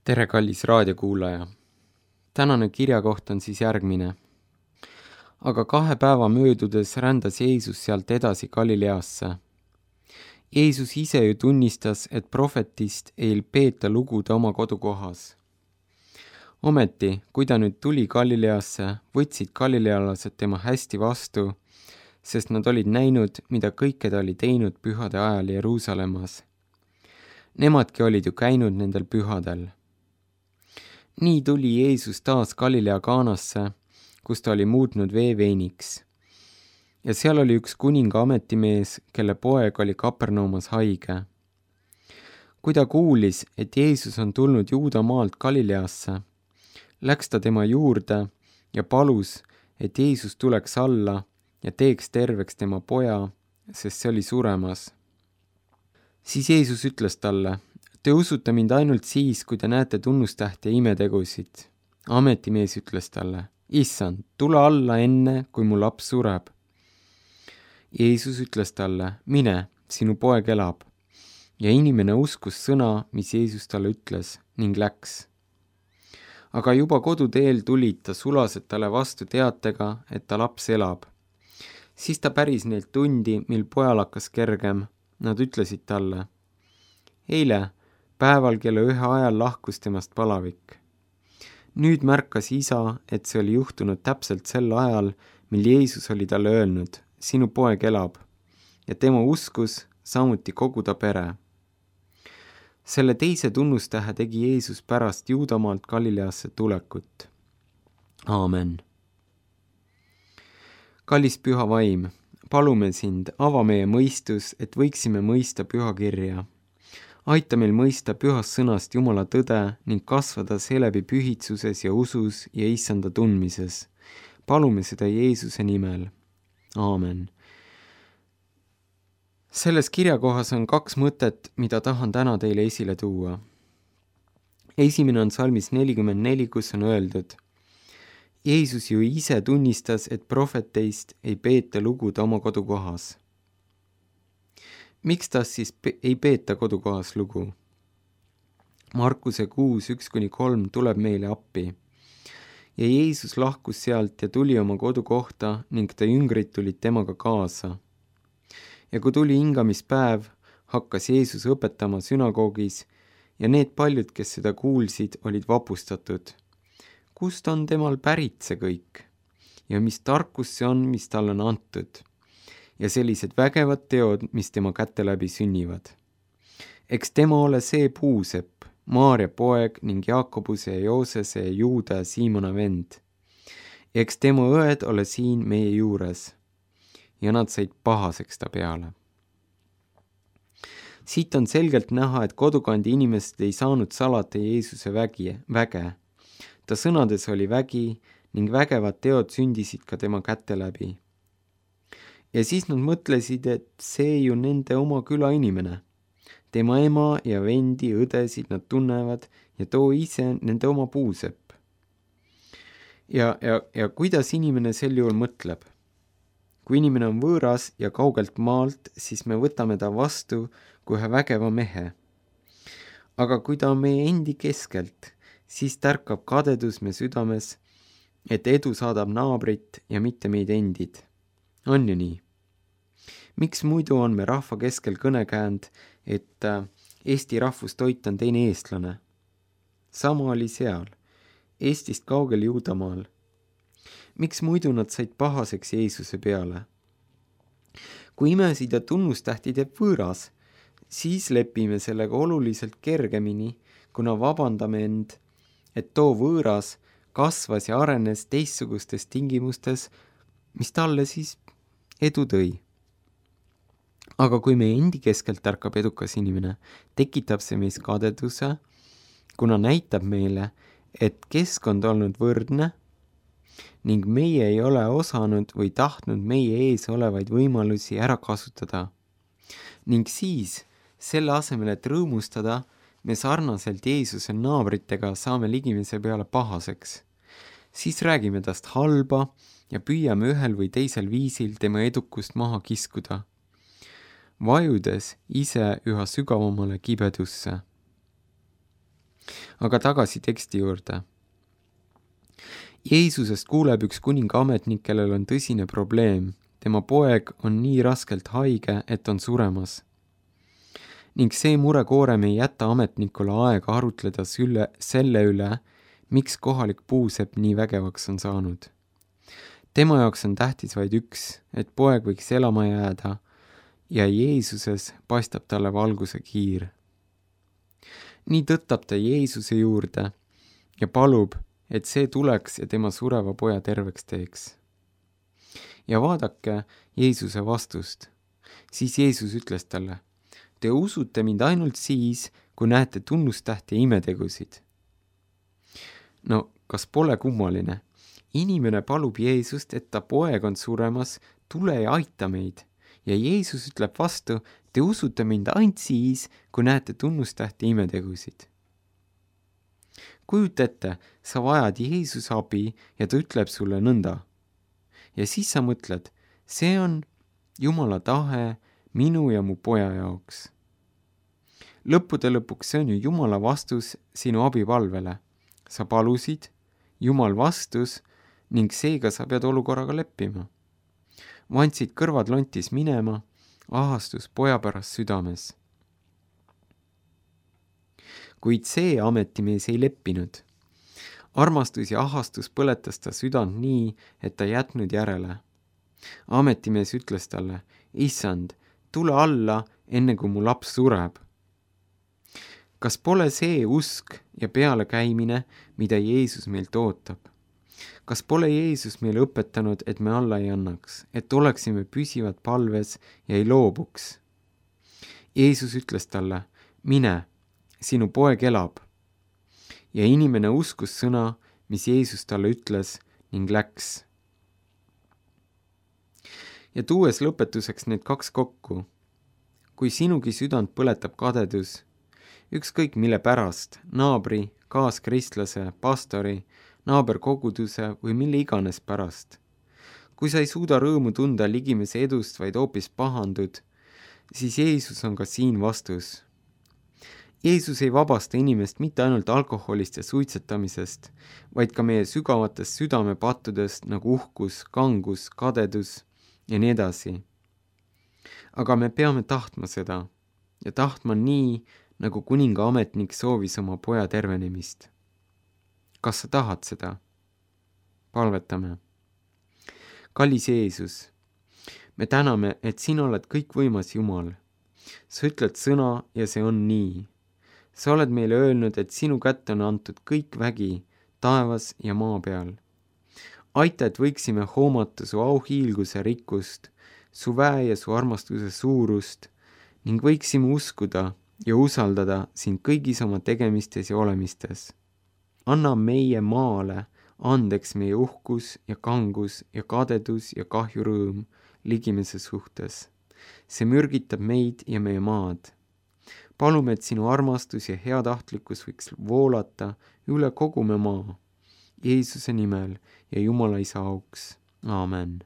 Tere, kallis raadiokuulaja! Tänane kirjakoht on siis järgmine. Aga 2 päeva möödudes rändas Jeesus sealt edasi Galileasse. Jeesus ise ju tunnistas, et prohvetist ei peeta lugu ta oma kodukohas. Ometi, kui ta nüüd tuli Galileasse, võtsid galilealased tema hästi vastu, sest nad olid näinud, mida kõike ta oli teinud pühade ajal Jeruusalemmas. Nemadki olid ju käinud nendel pühadel. Nii tuli Jeesus taas Galilea Kaanasse, kus ta oli muutnud vee veiniks. Ja seal oli üks kuninga ametimees, kelle poeg oli Kapernaumas haige. Kui ta kuulis, et Jeesus on tulnud Juuda maalt Galileasse, läks ta tema juurde ja palus, et Jeesus tuleks alla ja teeks terveks tema poja, sest see oli suremas. Siis Jeesus ütles talle: Te usute mind ainult siis, kui te näete tunnustähti ja imetegusid. Ametimees ütles talle: Issand, tule alla enne, kui mu laps sureb. Jeesus ütles talle: Mine, sinu poeg elab. Ja inimene uskus sõna, mis Jeesus talle ütles, ning läks. Aga juba koduteel tulid ta sulased talle vastu teatega, et ta laps elab. Siis ta päris neilt tundi, mil pojal hakkas kergem. Nad ütlesid talle: Eile päeval kella 1 ajal lahkus temast palavik. Nüüd märkas isa, et see oli juhtunud täpselt sel ajal, mil Jeesus oli talle öelnud: Sinu poeg elab. Ja tema uskus samuti kogu ta pere. Selle teise tunnustähe tegi Jeesus pärast Juudamaalt Galileasse tulekut. Aamen. Kallis püha vaim, palume sind, ava meie mõistus, et võiksime mõista pühakirja. Aita meil mõista pühast sõnast Jumala tõde ning kasvada seeläbi pühitsuses ja usus ja issanda tundmises. Palume seda Jeesuse nimel. Aamen. Selles kirjakohas on 2 mõtet, mida tahan täna teile esile tuua. Esimene on salmis 44, kus on öeldud: Jeesus ju ise tunnistas, et prohveteist ei peeta lugu ta oma kodukohas. Miks ta siis ei peeta kodukohas lugu? Markuse 6:1-3 tuleb meile appi. Ja Jeesus lahkus sealt ja tuli oma kodukohta ning ta jüngrid tulid temaga kaasa. Ja kui tuli hingamispäev, hakkas Jeesus õpetama sünagoogis ja need paljud, kes seda kuulsid, olid vapustatud. Kust on temal pärit see kõik? Ja mis tarkus see on, mis tal on antud? Ja sellised vägevad teod, mis tema käte läbi sünnivad. Eks tema ole see puusepp, Maarja poeg ning Jaakobuse ja Joosese ja Juuda ja Siimona vend. Ja eks tema õed ole siin meie juures. Ja nad said pahaseks ta peale. Siit on selgelt näha, et kodukandi inimesed ei saanud salata Jeesuse väge. Ta sõnades oli vägi ning vägevad teod sündisid ka tema käte läbi. Ja siis nad mõtlesid, et see ju nende oma küla inimene. Tema ema ja vendi, õdesid nad tunnevad ja too ise nende oma puusepp. Ja kuidas inimene sel juhul mõtleb? Kui inimene on võõras ja kaugelt maalt, siis me võtame ta vastu kui ühe vägeva mehe. Aga kui ta on meie endi keskelt, siis tärkab kadedus me südames, et edu saadab naabrit ja mitte meid endid. On ju nii? Miks muidu on me rahva keskel kõnekäänd, et Eesti rahvustoit on teine eestlane? Sama oli seal, Eestist kaugel Juudamaal. Miks muidu nad said pahaseks Jeesuse peale? Kui imesid ja tunnustähti teeb võõras, siis lepime sellega oluliselt kergemini, kuna vabandame end, et too võõras kasvas ja arenes teistsugustes tingimustes, mis talle siis edu tõi. Aga kui meie endi keskelt tärkab edukas inimene, tekitab see meis kadeduse, kuna näitab meile, et keskkond olnud võrdne ning meie ei ole osanud või tahtnud meie ees olevaid võimalusi ära kasutada. Ning siis, selle asemel, et rõõmustada, me sarnaselt Jeesuse naabritega saame ligimese peale pahaseks. Siis räägime tast halba ja püüame ühel või teisel viisil tema edukust maha kiskuda, vajudes ise üha sügavamale kibedusse. aga tagasi teksti juurde. Jeesusest kuuleb üks kuninga ametnik, kellel on tõsine probleem. Tema poeg on nii raskelt haige, et on suremas. Ning see murekoorem ei jäta ametnikule aega arutleda selle üle, miks kohalik puusepp nii vägevaks on saanud. Tema jaoks on tähtis vaid üks, et poeg võiks elama jääda ja Jeesuses paistab talle valguse kiir. Nii tõttab ta Jeesuse juurde ja palub, et see tuleks ja tema sureva poja terveks teeks. Ja vaadake Jeesuse vastust. Siis Jeesus ütles talle, te usute mind ainult siis, kui näete tunnustähti ja imetegusid. No, kas pole kummaline? Inimene palub Jeesust, et ta poeg on suremas, tule ja aita meid. Ja Jeesus ütleb vastu, te usute mind ainult siis, kui näete tunnustähti ja imetegusid. Kujuta ette, sa vajad Jeesuse abi ja ta ütleb sulle nõnda. Ja siis sa mõtled, see on Jumala tahe minu ja mu poja jaoks. Lõppude lõpuks see on ju Jumala vastus sinu abipalvele. Sa palusid, Jumal vastus ning seega sa pead olukorraga leppima. Vandsid kõrvad lontis minema, ahastus poja pärast südames. Kuid see ametimees ei leppinud. Armastus ja ahastus põletas ta südant nii, et ta jätnud järele. Ametimees ütles talle, issand, tule alla, enne kui mu laps sureb. Kas pole see usk ja pealekäimine, mida Jeesus meilt ootab? Kas pole Jeesus meile õpetanud, et me alla ei annaks, et oleksime püsivad palves ja ei loobuks? Jeesus ütles talle, mine, sinu poeg elab. Ja inimene uskus sõna, mis Jeesus talle ütles ning läks. Ja tuues lõpetuseks need kaks kokku. Kui sinugi südant põletab kadedus, ükskõik mille pärast, naabri, kaaskristlase, pastori, naaberkoguduse või mille iganes pärast. Kui sa ei suuda rõõmu tunda ligimese edust, vaid hoopis pahandud, siis Jeesus on ka siin vastus. Jeesus ei vabasta inimest mitte ainult alkoholist ja suitsetamisest, vaid ka meie sügavatest südamepattudest nagu uhkus, kangus, kadedus ja nii edasi. Aga me peame tahtma seda ja tahtma nii, nagu kuninga ametnik soovis oma poja tervenemist. Kas sa tahad seda? Palvetame. Kallis Jeesus, me täname, et sina oled kõikvõimas Jumal. Sa ütled sõna ja see on nii. Sa oled meile öelnud, et sinu kätte on antud kõik vägi taevas ja maa peal. Aita, et võiksime hoomata su auhiilguse rikkust, su väe ja su armastuse suurust ning võiksime uskuda ja usaldada sind kõigis oma tegemistes ja olemistes. Anna meie maale andeks meie uhkus ja kangus ja kadedus ja kahjurõõm ligimese suhtes. See mürgitab meid ja meie maad. Palume, et sinu armastus ja heatahtlikkus võiks voolata üle kogu me maa. Jeesuse nimel ja Jumala Isa auks. Aamen.